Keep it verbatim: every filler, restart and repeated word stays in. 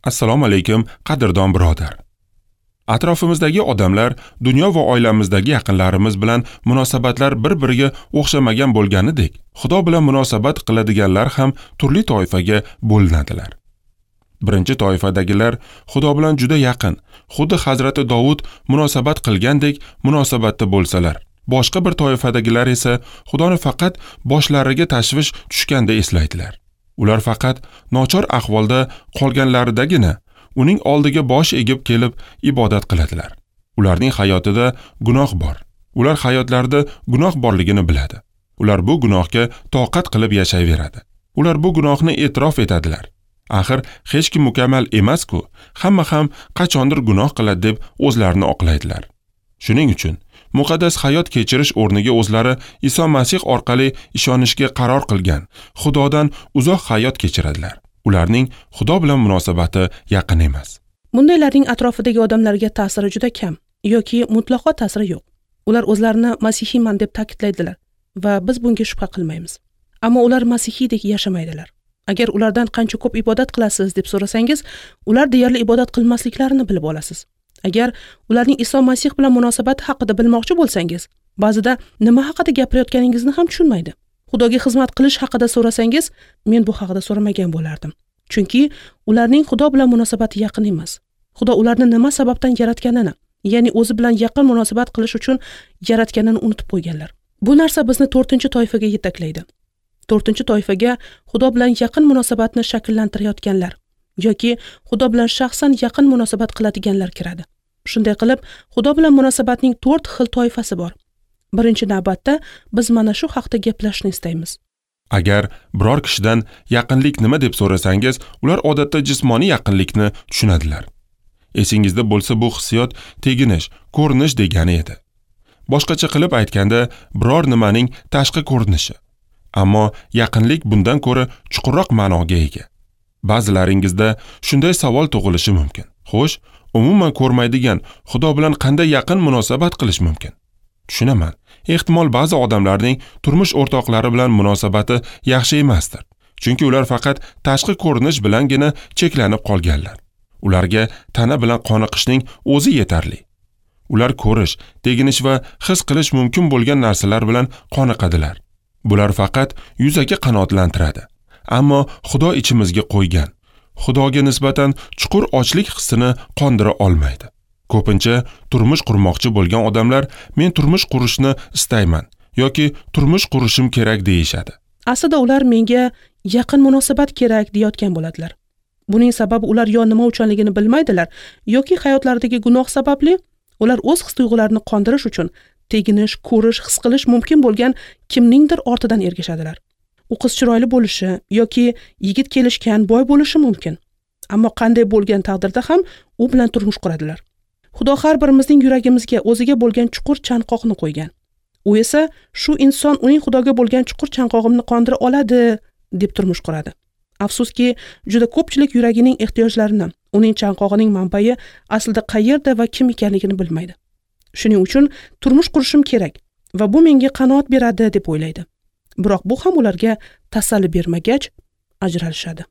Assalomu alaykum, qadrdon birodar. Atrofimizdagi odamlar, dunyo va oilamizdagi yaqinlarimiz bilan munosabatlar bir-biriga o'xshamagan bo'lganidek, Xudo bilan munosabat qiladiganlar ham turli toifaga bo'linadilar. Birinchi toifadagilar Xudo bilan juda yaqin, xuddi Hazrati Dovud munosabat qilgandek munosabatda bo'lsalar, boshqa bir toifadagilar esa Xudoni faqat boshlariga tashvish tushganda eslaydilar. Ular faqat nochor ahvolda qolganlaridagina uning oldiga bosh egib kelib ibodat qiladilar. Ularning hayotida gunoh bor. Ular hayotlarida gunoh borligini biladi. Ular bu gunohga toqat qilib yashayveradi. Ular bu gunohni e'tirof etadilar. Axir hech kim mukammal emas-ku, hamma ham qachondir gunoh qiladi deb o'zlarini oqlaydilar. Shuning uchun muqaddas hayot kechirish o'rniga o'zlari Iso Masih orqali ishonishga qaror qilgan Xudodan uzoq hayot kechiradilar. Ularning Xudo bilan munosabati yaqin emas. Bundaylarning atrofidagi odamlarga ta'siri juda kam yoki mutlaqo ta'siri yo'q. Ular o'zlarini masihiyman deb ta'kidlaydilar va biz bunga shubha qilmaymiz. Ammo ular masihiydek yashamaydilar. Agar ulardan qancha ko'p ibodat qilasiz deb so'rasangiz, ular deyarli ibodat qilmasliklarini bilib olasiz. Agar ularning Iso Masih bilan munosabati haqida bilmoqchi bo'lsangiz, ba'zida nima haqida gapirayotganingizni ham tushunmaydi. Xudoga xizmat qilish haqida so'rasangiz, men bu haqida so'ramagan bo'lardim. Chunki ularning Xudo bilan munosabati yaqin emas. Xudo ularni nima sababdan yaratganini, ya'ni o'zi bilan yaqin munosabat qilish uchun yaratganini unutib qo'yganlar. Bu narsa bizni to'rtinchi toifaga yetaklaydi. To'rtinchi toifaga Xudo bilan yaqin munosabatni shakllantirayotganlar yoki Xudo bilan shaxsan yaqin munosabat qiladiganlar kiradi. Shunday qilib, Xudo bilan munosabatning to'rt xil toifasi bor. Birinchi navbatda biz mana shu haqda gaplashishni istaymiz. Agar biror kishidan yaqinlik nima deb so'rasangiz, ular odatda jismoniy yaqinlikni tushunadilar. Esingizda bo'lsa, bu hissiyot teginish, ko'rinish degani edi. Boshqacha qilib aytganda, biror nimaning tashqi ko'rinishi. Ammo yaqinlik bundan ko'ra chuqurroq ma'noga ega. Ba'zilaringizda shunday savol tug'ilishi mumkin. Xo'sh, umuman ko'rmaydigan Xudo bilan qanday yaqin munosabat qilish mumkin? Tushunaman. Ehtimol ba'zi odamlarning turmush o'rtoqlari bilan munosabati yaxshi emasdir. Chunki ular faqat tashqi ko'rinish bilangina cheklanib qolganlar. Ularga tana bilan qoniqishning o'zi yetarli. Ular ko'rish, teginish va his qilish mumkin bo'lgan narsalar bilan qoniqadilar. Bular faqat yuzaki qanoatlantiradi. Ammo Xudo ichimizga qo'ygan, Xudoga nisbatan chuqur ochlik hissini qondira olmaydi. Ko'pincha turmush qurmoqchi bo'lgan odamlar men turmush qurishni istayman yoki turmush qurishim kerak deyishadi. Aslida ular menga yaqin munosabat kerak deyotgan bo'ladilar. Buning sababi ular yo nima uchunligini bilmaydilar yoki hayotlaridagi gunoh sababli ular o'z his-tuyg'ularini qondirish uchun teginish, ko'rish, his qilish mumkin bo'lgan kimningdir ortidan ergashadilar. U qiz chiroyli bo'lishi yoki yigit kelishgan, boy bo'lishi mumkin. Ammo qanday bo'lgan taqdirda ham u bilan turmush quradilar. Xudo har birimizning yuragimizga o'ziga bo'lgan chuqur chanqoqni qo'ygan. U esa shu inson uning Xudoga bo'lgan chuqur chanqog'imni qondira oladi deb turmush quradi. Afsuski, juda ko'pchilik yuragining ehtiyojlarini, uning chanqog'ining manbai aslida qayerda va kim ekanligini bilmaydi. Shuning uchun turmush qurishim kerak va bu menga qanoat beradi deb o'ylaydi. Biroq bu ham ularga tasalli bermagach ajralishadi.